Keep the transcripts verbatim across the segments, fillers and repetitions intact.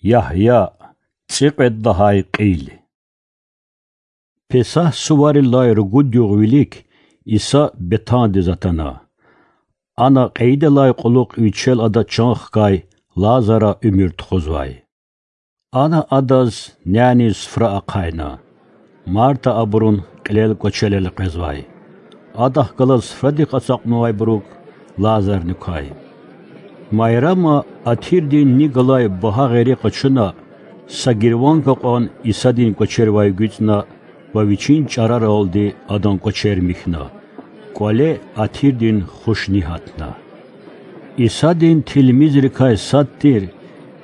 Ягья, цӀикьвед лагьай кьил. Песагь суварилай ругуд югъ вилик Иса Бетандиз атана. Ана кьейидалай кьулухъ вичел ада чан хкай Лазара уьмуьр тухузвай. Ана адаз няниз суфра ахъайна. Марта абурун кьилел кӀвачел элкъвезвай. Адахъ галаз суфрадик ацукьнавайбурук Лазарни квай. Майрама атирдин ни галай багьа гъери къачуна, са гирванг акьван Исадин кӀвачервай гуьцӀна ва вичин чӀараралди адан кӀвачер михьна. КӀвале атирдин хуш ни гьатна. Исадин тилмизрикай сад тир,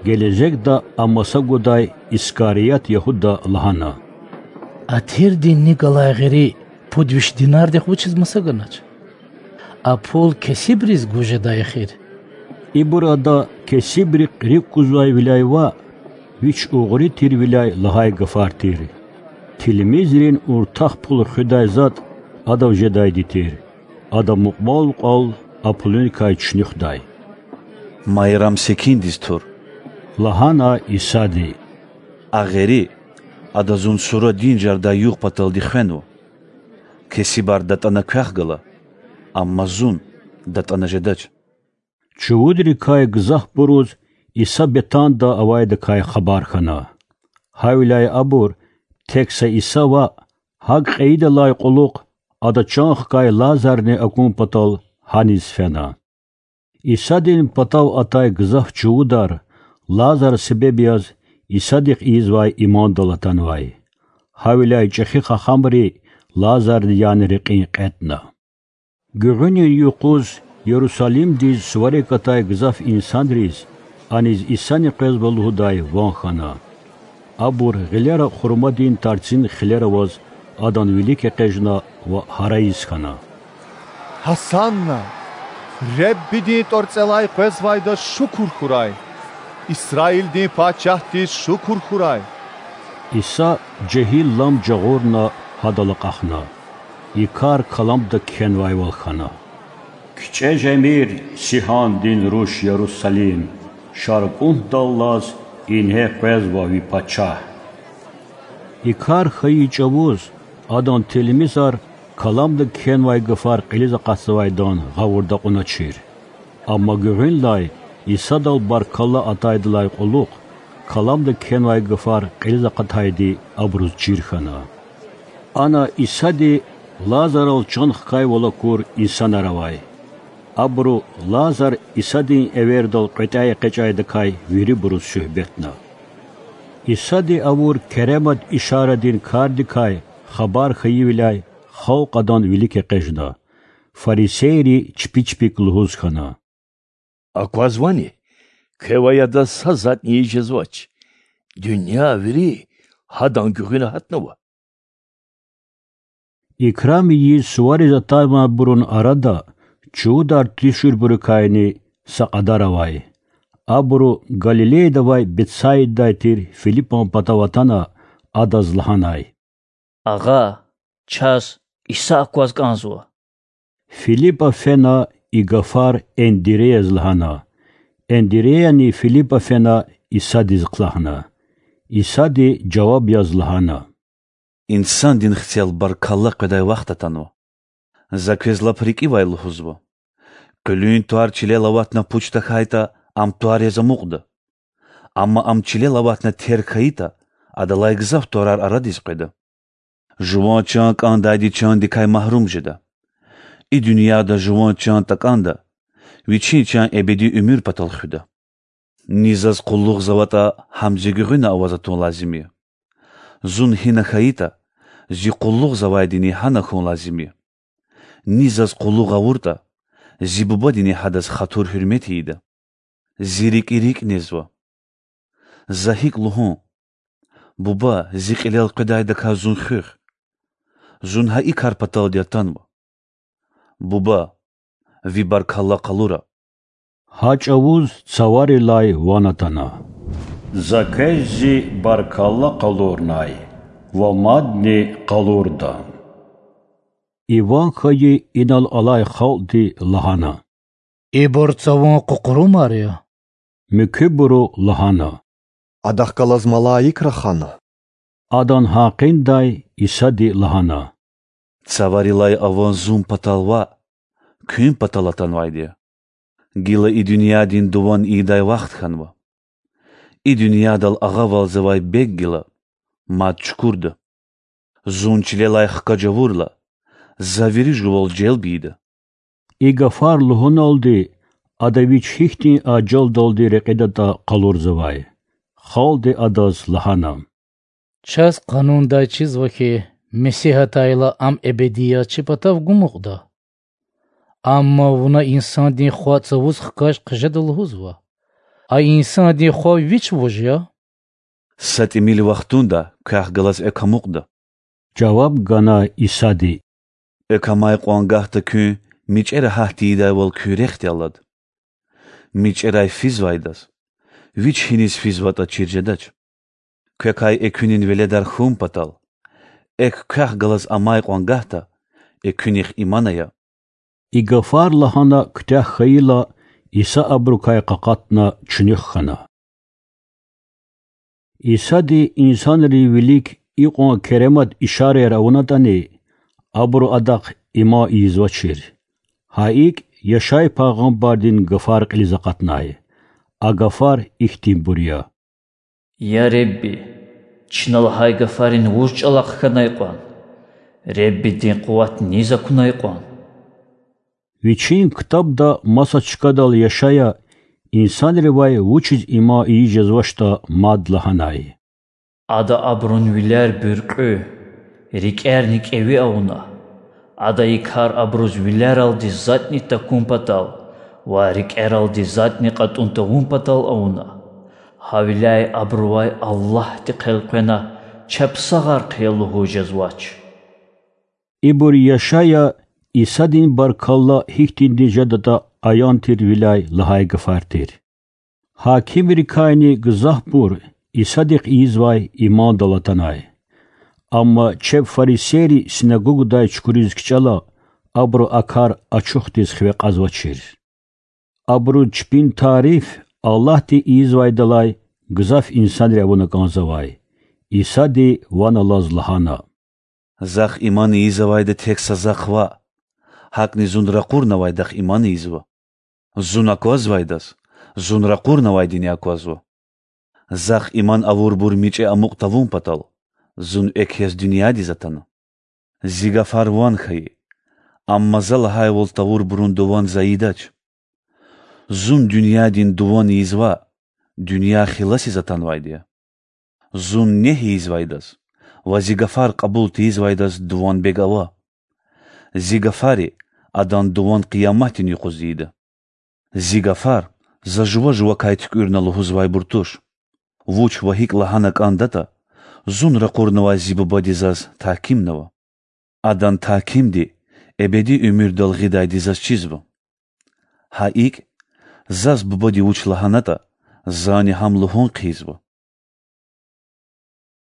гележегда а маса гудай Искарият Ягьуда лагьана: Атирдин ни галай гъери пуд виш динардихъ вучиз маса ганач? А пул кесибриз гуз жедай эхир. Ибур ада кесибрихъ рикӀ кузвайвиляй ваъ, вич угъри тирвиляй лагьай гафар тир. Тилмизрин уртах пул хуьдай затӀ адав жедайди тир. Ада мукьвал-мукьвал а пулуникай чуьнуьхдай. Майрам секиндиз тур,– лагьана Исади. А гъери Ада Зун сура дин жардай югъ паталди хвенва. Кесибар датӀана квехъ гала, амма Зун датӀана жедач. Чувудрикай гзафбуруз Иса Бетанда авайдакай хабар хьана. Гьавиляй абур, тек са Иса ваъ, гьакӀ кьейидалай кьулухъ Ада чан хкай Лазарни акун патал гьаниз фена. Исадин патав атай гзаф чувудар Лазар себеб яз Исадихъ ийизвай имандал атанвай. Гьавиляй чӀехи хахамри Лазардин яна рекьин кьетӀна. Гуьгъуьнин юкъуз Ярусалимдиз суварик атай гзаф инсанриз аниз Исани къвезва лугьудай ван хьана. Абур гъилера хурмадин тарцин хилер аваз Адан вилик экъечӀна ва гьарайиз хьана: Гьасанна! Реббидин ТӀварцӀелай къвезвайдаз шукур хьурай! Исраилдин Пачагьдиз шукур хьурай! Иса жегьил лам жагъурна Гьадал акьахна. И кар каламда кхьенвайвал хьана: КичӀе жемир, Сигьандин руш Ярусалим! ШаркьунтӀдаллаз ингье къвезва ви Пачагь! И кар хьайи чӀавуз Адан тилмизар каламда кхьенвай гафар кьилиз акъатзавайдан гъавурда акьуначир. Амма гуьгъуьнлай Исадал баркалла атайдалай кьулухъ каламда кхьенвай гафар кьилиз акъатайди абуруз чир хьана. Ана Исади Лазарал чан хкайвал акур инсанар авай. Абуру Лазар Исадин эвердал кьветӀяй экъечӀайдакай вирибуруз суьгьбетна. Исади авур керемат ишарадин кардикай хабар хьайивиляй халкь Адан вилик экъечӀна. Фарисейри чпи-чпик лугьуз хьана: Аквазвани, квевай Адаз са затӀни ийиз жезвач. Дуьнья вири Гьадан гуьгъуьна гьатнава. Икрам ийиз сувариз атанвайбурун арада чувудар туьшуьрбурукайни са кьадар авай. Абуру Галилеяда авай Бетсаидадай тир Филипан патав атана, адаз лагьанай: Агъа, чаз Иса акваз кӀанзава. Филипа фена и гафар Эндиреяз лагьана. Эндиреяни Филипа фена Исадиз хълагьна. Исади жаваб яз лагьана: Инсандин Хцел баркалла къведай вахт атанва. За квез лап рикӀивай лугьузва: къуьлуьн тӀвар чилел аватна пуч тахьайтӀа, ам тӀвар яз амукьда. Амма ам чилел аватна терг хьайитӀа, адалай гзаф тӀварар арадиз къведа. Жуван чан кӀандайди чандикай магьрум жеда. И дуьньяда жуван чан такӀанда, вичин чан эбеди уьмуьр патал хуьда. Ни Заз къуллугъзаватӀа, гьам Зи гуьгъуьна аваз атун лазим я. Зун гьина хьайитӀа, Зи къуллугъзавайдини гьана хьун лазим я. Ни Заз къуллугъ авуртӀа, Зи Бубадини гьадаз хатур-гьуьрмет ийида. Зи рикӀи рикӀ незва. За гьикӀ лугьун: Буба, Зи кьилел къведайдакай Зун хуьх? Зун гьа и кар паталди атанва. Буба, Ви баркалла къалура. Гьа чӀавуз цаварилай ван атана: За квез Зи баркалла къалурнай ва мадни къалурда. И ван хьайи инал алай халкьди лагьана: Ибур цавун къукъурумар я. Муькуьбуру лагьана: Адахъ галаз малаик рахана. Адан гьакъиндай Исади лагьана: Цаварилай аван Зун патал ваъ, куьн патал атанвайди я. Гила и дуьньядин дуван ийидай вахт хьанва. И дуьньядал агъавалзавай бег гила мад чукурда. Зун чилелай хкаж авурла, За вири жувал желб ийида. И гафар лугьуналди, ада вич гьихьтин ажалдалди рекьидатӀа къалурзавай. Халкьди адаз лагьана: Чаз Къанундай чизва хьи, Месигь атайла, ам эбеди яз чи патав гумукьда. Амма вуна Инсандин Хва цавуз хкаж хъжеда лугьузва. А Инсандин Хва вич вуж я? Са тӀимил вахтунда квехъ галаз экв амукьда,— жаваб гана Исади. Экв амай кьван гагьда куьн мичӀера гьат тийидайвал куь рехъди алад. МичӀерай физвайдаз, вич гьиниз физватӀа чир жедач. Квекай экуьнин веледар хьун патал, экв квехъ галаз амай кьван гагьда экуьнихъ иман ая. И гафар лагьана куьтягь хьайила, Иса абурукай къакъатна чуьнуьх хьана. Исади инсанрин вилик икьван керемат ишараяр авунатӀани, абуру Адахъ иман ийизвачир. Гьа икӀ, Яшай пайгъамбардин гафар кьилиз акъатнай. А гафар ихьтинбур я: Я Худа, чна лагьай гафарин вуж чӀалахъ хьанай кьван? Худадин къуват низ акунай кьван? Вичин ктабда маса чкадал Яшая инсанривай вучиз иман ийиз жезвачтӀа мад лагьанай: Ада абурун вилер буьркьуь, рикӀерни кӀеви авуна. Ада и кар абуруз вилералди затӀни такун патал ва рикӀералди затӀни кьатӀун тавун патал авуна. Гьавиляй абурувай Аллагьдихъ элкъвена чапсагъар хъия лугьуз жезвач. Ибур Яшая Исадин баркалла гьихьтинди жедатӀа аян тирвиляй лагьай гафар тир. Гьакимрикайни гзафбур Исадихъ ийизвай имандал атанай. Амма чеб фарисейри синагогадай чукуриз кичӀела, абуру а кар ачухдиз хиве кьазвачир. Абуруз чпин тариф Аллагьди ийизвайдалай гзаф инсанри авуна кӀанзавай. Исади ван алаз лагьана: Захъ иман ийиз авайда тек са Захъ ваъ, гьакӀни Зун ракъурнавайдахъ иман ийизва. Зун аквазвайдаз Зун ракъурнавайдини аквазва. Захъ иман авурбур мичӀи амукь тавун патал Зун экв яз дуьньядиз атана. Зи гафар ван хьайи, амма За лагьайвал тавурбурун дуван За ийидач. Зун дуьньядин дуван ийиз ваъ, дуьнья хиласиз атанвайди я. Зун негь ийизвайдаз ва Зи гафар кьабул тийизвайдаз дуван бег ава. Зи гафари адан дуван къияматдин юкъуз ийида. Зи гафар За жува-жувакай туькӀуьрна лугьузвайбур туш. Вуч ва гьикӀ лагьана кӀандатӀа, Зун ракъурнавай Зи Бубади Заз тагькимнава. Адан тагькимди эбеди уьмуьрдал гъидайди Заз чизва. Гьа икӀ, Заз Бубади вуч лагьанатӀа, Зани гьам лугьун хъийизва.